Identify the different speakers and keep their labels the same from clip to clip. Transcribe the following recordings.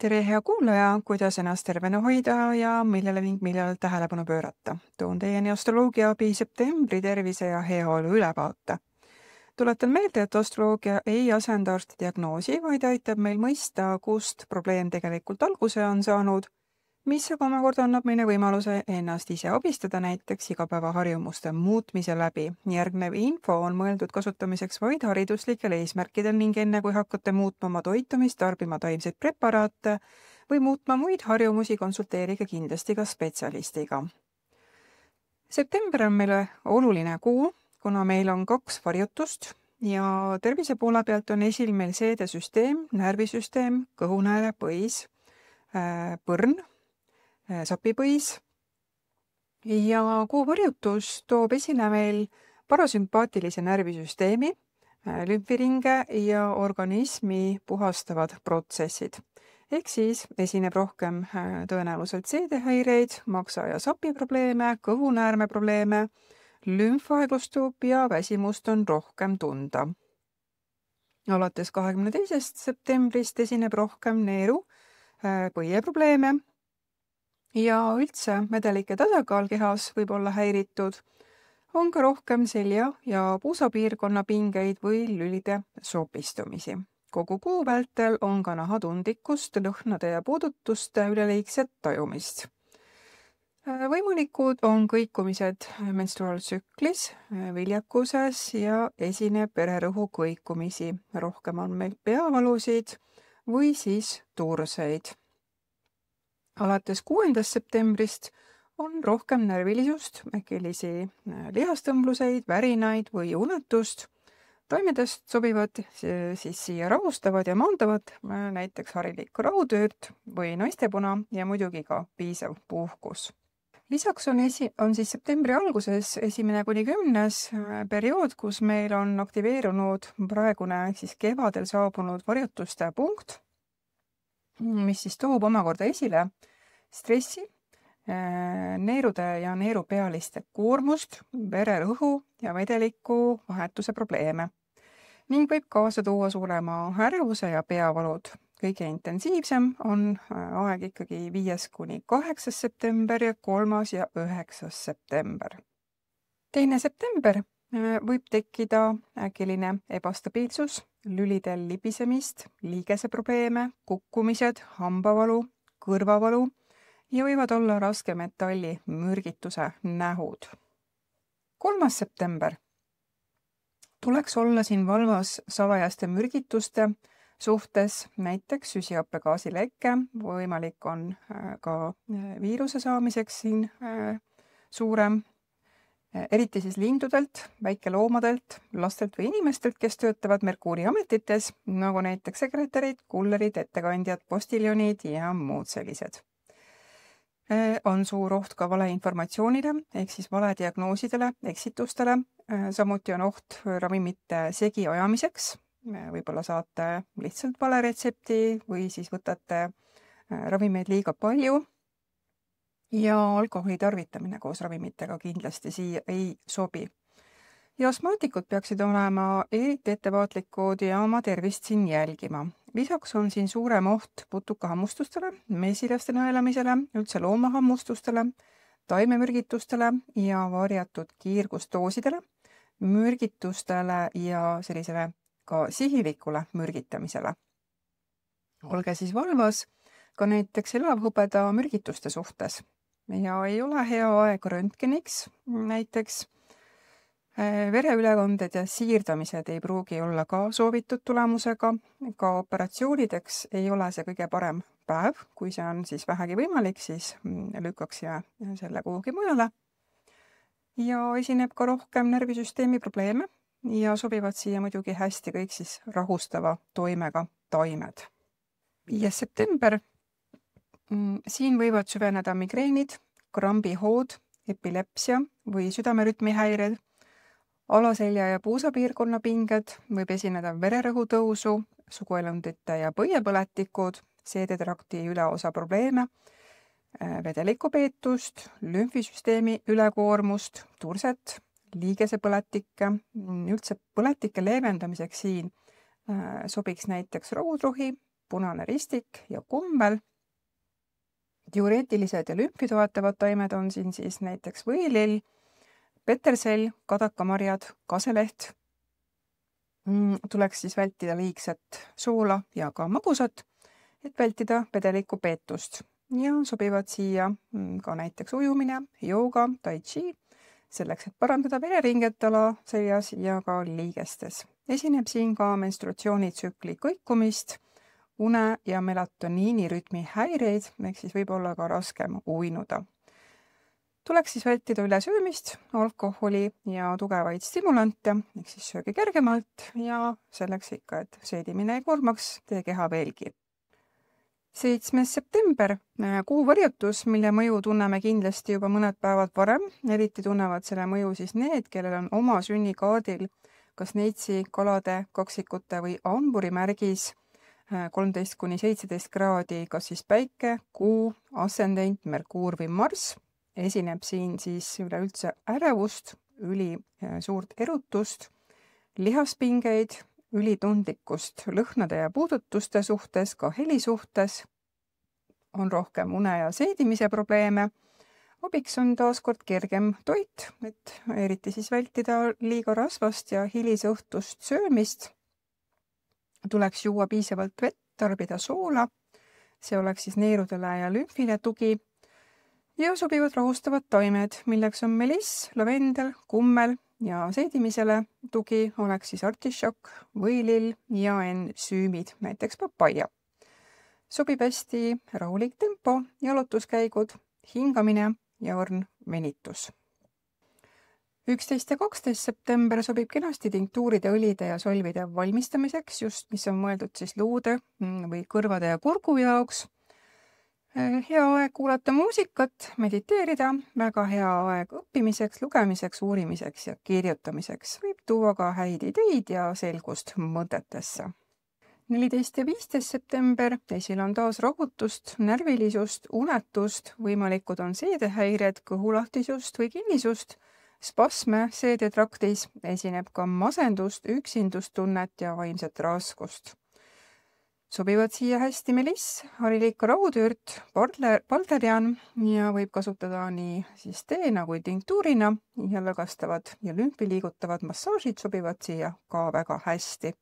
Speaker 1: Tere, hea kuulaja, kuidas ennast tervena hoida ja millal tähelepanu pöörata. Toon teieni astroloogia abi septembri tervise ja heaolu ülevaate. Tuletan meelde, et astroloogia ei asenda arsti diagnoosi, vaid aitab meil mõista, kust probleem tegelikult alguse on saanud, mis aga omakorda annab meile võimaluse ennast ise abistada näiteks igapäevaharjumuste muutmise läbi. Järgnev info on mõeldud kasutamiseks vaid hariduslikel eesmärkidel ning enne kui hakkate muutma oma toitumist, tarbima taimseid preparaate või muutma muid harjumusi, konsulteerige kindlasti ka spetsialistiga. September on meile oluline kuu, kuna meil on 2 varjutust ja tervise poole pealt on esil meil seedesüsteem, närvisüsteem, kõhunääre, põis, põrn, sapipõis ja kuu varjutus toob esile meil parasümpaatilise närvisüsteemi, lümfiringe ja organismi puhastavad protsessid. Ehk siis esineb rohkem tõenäoliselt seedehäireid, maksa- ja sapiprobleeme, kõhunäärme probleeme, lümf aeglustub ja väsimust on rohkem tunda. Alates 22. septembrist esineb rohkem neeru, põieprobleeme ja üldse vedelike tasakaal kehas võib olla häiritud, on ka rohkem selja- ja puusapiirkonna pingeid või lülide sopistumisi. Kogu kuu vältel on ka nahatundlikkust, lõhnade ja puudutuste üleliigset tajumist. Võimalikud on kõikumised menstruaaltsüklis, viljakuses ja esineb vererõhu kõikumisi. Rohkem on meil peavalusid või siis turseid. Alates 6. septembrist on rohkem närvilisust, äkilisi lihastõmbluseid, värinaid või unetust. Taimedest sobivad siis siia rahustavad ja maandavad näiteks harilik raudööt või naistepuna ja muidugi ka piisav puhkus. Lisaks on siis septembri alguses 1.–10. periood, kus meil on aktiveerunud praegune siis kevadel saabunud varjutuste punkt, mis siis toob omakorda esile stressi, neerude ja neerupealiste koormust, vererõhu ja vedeliku vahetuse probleeme ning võib kaasa tuua suurema ärevuse ja peavalud. Kõige intensiivsem on aeg ikkagi 5.–8. september ja 3. ja 9. september. 2. september võib tekkida äkiline ebastabiilsus, lülidel libisemist, liigeseprobleeme, kukkumised, hambavalu, kõrvavalu ja võivad olla raske metalli mürgituse nähud. 3. september. Tuleks olla siin valvas salajaste mürgituste suhtes, näiteks süsihappegaasilekke, võimalik on ka viiruse saamiseks siin suurem, eriti siis lindudelt, väikeloomadelt, lastelt või inimestelt, kes töötavad Merkuuriametites, nagu näiteks sekretärid, kullerid, ettekandjad, postiljonid ja muud sellised. On suur oht ka valeinformatsioonile ehk siis valediagnoosidele, eksitustele, samuti on oht ravimite segi ajamiseks. Võib-olla saate lihtsalt vale retsepti või siis võtate ravimeid liiga palju ja alkoholi tarvitamine koos ravimitega kindlasti siia ei sobi. Ja astmaatikud peaksid olema eriti ettevaatlikud ja oma tervist siin jälgima. Lisaks on siin suurem oht putukahammustustele, mesilaste nõelamisele, üldse loomahammustustele, taimemürgitustele ja varjatud kiirgusdoosidele, mürgitustele ja sellisele ka sihilikule mürgitamisele. Olge siis valvas ka näiteks elavhõbeda mürgituste suhtes ja ei ole hea aeg röntgeniks näiteks. Vereülekanded ja siirdamised ei pruugi olla ka soovitud tulemusega, ka operatsioonideks ei ole see kõige parem päev, kui see on siis vähegi võimalik, siis lükkaks selle kuhugi mujale. Ja esineb ka rohkem närvisüsteemi probleeme ja sobivad siia muidugi hästi kõik siis rahustava toimega taimed. 5. september. Siin võivad süveneda migreenid, krambihood, epilepsia või südamerütmihäired, alaselja ja puusapiirkonna pinged, võib esineda vererõhu tõusu, suguelundite ja põiepõletikud, seedetrakti üleosa probleeme, vedelikupeetust, lümfisüsteemi ülekoormust, turset, liigesepõletikke, üldse põletike leevendamiseks siin sobiks näiteks raudrohi, punane ristik ja kummel. Diureetilised ja lümfi toetavad taimed on siin siis näiteks võilill, petersell, kadakamarjad, kaseleht. Tuleks siis vältida liigset soola ja ka magusat, et vältida vedeliku peetust. Ja sobivad siia ka näiteks ujumine, jooga, tai chi, selleks, et parandada vereringet alaseljas ja ka liigestes. Esineb siin ka menstruatsioonitsükli kõikumist, une ja melatoniini rütmi häireid, ehk siis võib olla ka raskem uinuda. Tuleks siis vältida ülesöömist, alkoholi ja tugevaid stimulante, ehk siis sööge kergemalt ja selleks ikka, et seedimine ei koormaks teie keha veelgi. 7. september, kuuvarjutus, mille mõju tunneme kindlasti juba mõned päevad varem. Eriti tunnevad selle mõju siis need, kellel on oma sünnikaardil kas neitsi, kalade, kaksikute või hamburi märgis 13–17 kraadi, kas siis päike, kuu, ascendent, Merkuur või Marss. Esineb siin siis üleüldse ärevust, suurt erutust, lihaspingeid, ülitundlikkust lõhnade ja puudutuste suhtes, ka heli suhtes. On rohkem une ja seedimise probleeme. Abiks on taaskord kergem toit, et eriti siis vältida liiga rasvast ja hilisõhtust söömist. Tuleks juua piisavalt vett, tarbida soola. See oleks siis neerudele ja lümfile tugi. Ja sobivad rahustavad taimed, milleks on meliss, lavendel, kummel ja seedimisele tugi oleks siis artišokk, võilill ja ensüümid, näiteks papaia. Sobib hästi rahulik tempo, jalutuskäigud, hingamine ja õrn venitus. 11. ja 12. september sobib kenasti tinktuuride, õlide ja solvide valmistamiseks, just mis on mõeldud siis luude või kõrvade ja kurgu jaoks. Hea aeg kuulata muusikat, mediteerida, väga hea aeg õppimiseks, lugemiseks, uurimiseks ja kirjutamiseks. Võib tuua ka häid ideid ja selgust mõtetesse. 14. ja 15. september, esil on taas rahutust, närvilisust, unetust, võimalikud on seedehäired, kõhulahtisust või kinnisust, spasme seedetraktis, esineb ka masendust, üksindustunnet ja vaimset raskust. Sobivad siia hästi meliss, harilik raudürt, balderian ja võib kasutada nii siis teena kui tinktuurina ja lõgastavad ja lümfi liigutavad massaažid sobivad siia ka väga hästi.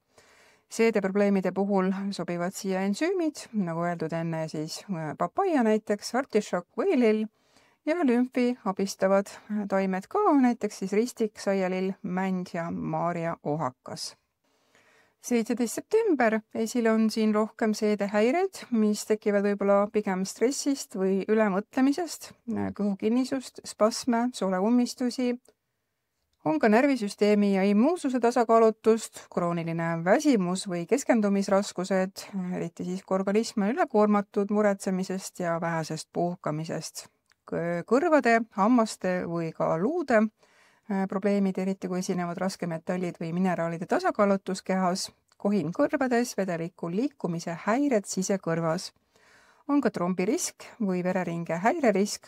Speaker 1: Seedeprobleemide puhul sobivad siia ensüümid, nagu öeldud enne siis papaia näiteks, artišokk, võilill ja lümfi abistavad taimed ka, näiteks siis ristik, saialill, mänd ja maaria ohakas. 17. september, esil on siin rohkem seedehäired, mis tekivad võib-olla pigem stressist või ülemõtlemisest, kõhukinnisust, spasme, sooleumistusi, on ka närvisüsteemi ja immuunsuse tasakaalutust, krooniline väsimus või keskendumisraskused, eriti siis, kui organism on ülekoormatud muretsemisest ja vähesest puhkamisest. Kõrvade, hammaste või ka luude probleemid, eriti kui esinevad raskemetallid või mineraalide tasakaalutus kehas, kohin kõrvades, vedeliku liikumise häired sisekõrvas. On ka trombirisk või vereringe häirerisk.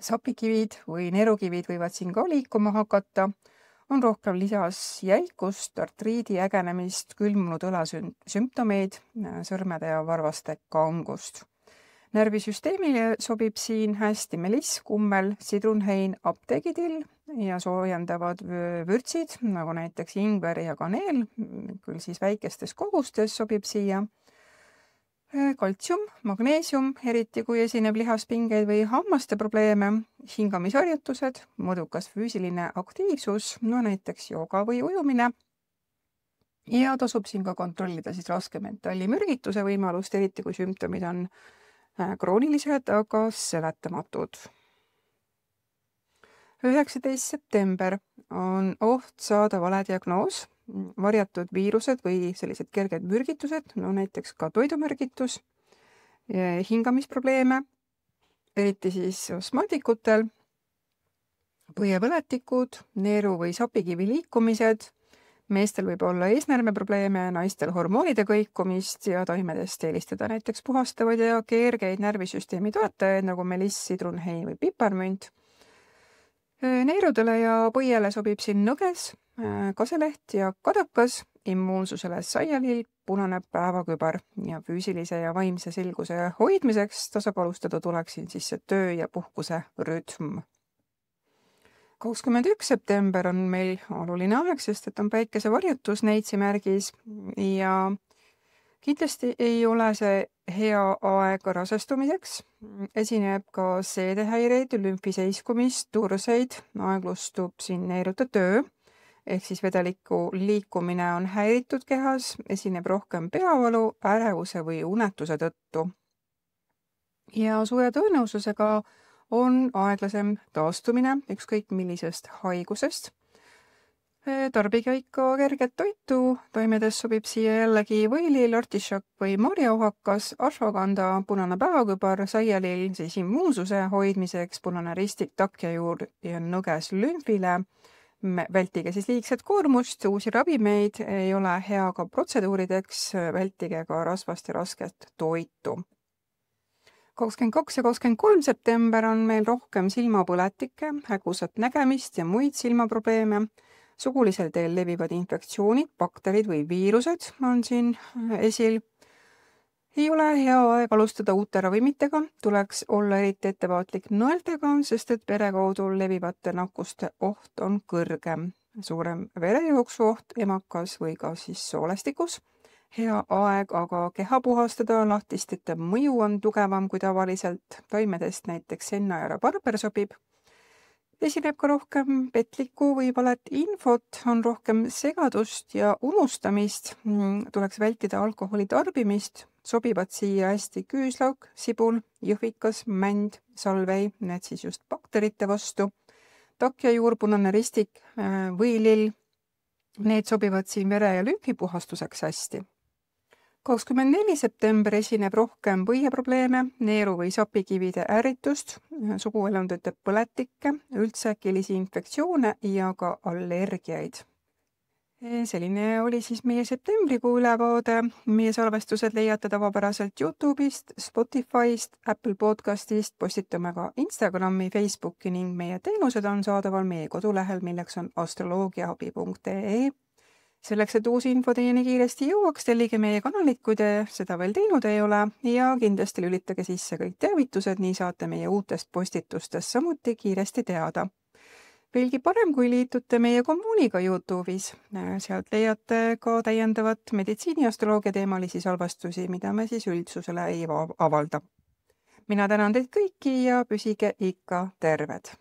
Speaker 1: Sapikivid või neerukivid võivad siin ka liikuma hakata. On rohkem lisas jälkust, artriidi ägenemist, külmunud õlasümptomeid, sõrmede ja varvaste kangust. Närvisüsteemile sobib siin hästi meliss, kummel, sidrunhein, apteegidill ja soojendavad vürtsid, nagu näiteks ingver ja kaneel, küll siis väikestes kogustes sobib siia. Kaltsium, magneesium, eriti kui esineb lihaspingeid või hammaste probleeme, hingamisharjutused, mõõdukas füüsiline aktiivsus, no näiteks jooga või ujumine. Ja tasub siin ka kontrollida siis raskemetalli mürgituse võimalust, eriti kui sümptomid on kroonilised, aga seletamatud. 19. september on oht saada vale diagnoos, varjatud viirused või sellised kerged mürgitused, no näiteks ka toidumürgitus, hingamisprobleeme, eriti siis astmaatikutel, põiepõletikud, neeru või sapikivi liikumised, meestel võib olla eesnäärmeprobleeme, naistel hormoonide kõikumist ja taimedest eelistada näiteks puhastavaid ja kergeid närvisüsteemi toetajaid nagu meliss, sidrunhein või piparmünt. Neerudele ja põiele sobib siin nõges, kaseleht ja kadakas, immuunsusele saialill, punane päevakübar ja füüsilise ja vaimse selguse hoidmiseks tasakaalustada tuleks siin siis see töö ja puhkuse rütm. 21. september on meil oluline aeg, sest et on päikesevarjutus neitsimärgis ja kindlasti ei ole see hea aeg rasestumiseks. Esineb ka seedehäireid, lümfiseiskumist, turseid, aeglustub siin neeruta töö, ehk siis vedeliku liikumine on häiritud kehas, esineb rohkem peavalu, ärevuse või unetuse tõttu. Ja suure tõenäosusega on aeglasem taastumine ükskõik millisest haigusest. Tarbige ikka kerget toitu, toimedes sobib siia jällegi võilill, artišokk või marjauhakas, ashwagandha, punane päevakübar, saialill siis immuunsuse hoidmiseks, punane ristik, takjajuur ja nõges lümfile. Vältige siis liigset koormust, uusi ravimeid ei ole hea ka protseduurideks, vältige ka rasvast ja rasket toitu. 22. ja 23. september on meil rohkem silmapõletikke, hägusat nägemist ja muid silmaprobleeme. Sugulisel teel levivad infektsioonid, bakterid või viirused on siin esil. Ei ole hea aeg alustada uute ravimitega, tuleks olla eriti ettevaatlik nõeltega, sest et vere kaudu levivate nakkuste oht on kõrgem. Suurem verejooksu oht emakas või ka siis soolestikus. Hea aeg aga keha puhastada, lahtistite mõju on tugevam kui tavaliselt, toimedest näiteks senna ja rabarber sobib. Esineb ka rohkem petlikku või valet infot, on rohkem segadust ja unustamist, tuleks vältida alkoholi tarbimist, sobivad siia hästi küüslauk, sibul, jõhvikas, mänd, salvei, need siis just bakterite vastu, takjajuur, punane ristik, võilill, need sobivad siin vere- ja lümfipuhastuseks hästi. 24. september esineb rohkem põieprobleeme, neeru- või sapikivide ärritust, suguelundite põletikke, üldse äkilisi infektsioone ja ka allergiaid. Selline oli siis meie septembrikuu ülevaade. Meie salvestused leiate tavapäraselt YouTube'ist, Spotify'st, Apple Podcast'ist, postitame ka Instagrami, Facebooki ning meie teenused on saadaval meie kodulehel, milleks on astroloogiaabi.ee. Selleks, et uusi info teieni kiiresti jõuaks, tellige meie kanalit, kui te seda veel teinud ei ole ja kindlasti lülitage sisse kõik teavitused, nii saate meie uutest postitustest samuti kiiresti teada. Veelgi parem, kui liitute meie kommuuniga YouTube'is. Sealt leiate ka täiendavat meditsiiniastroloogia teemalisi salvestusi, mida me siis üldsusele ei avalda. Mina tänan teid kõiki ja püsige ikka terved!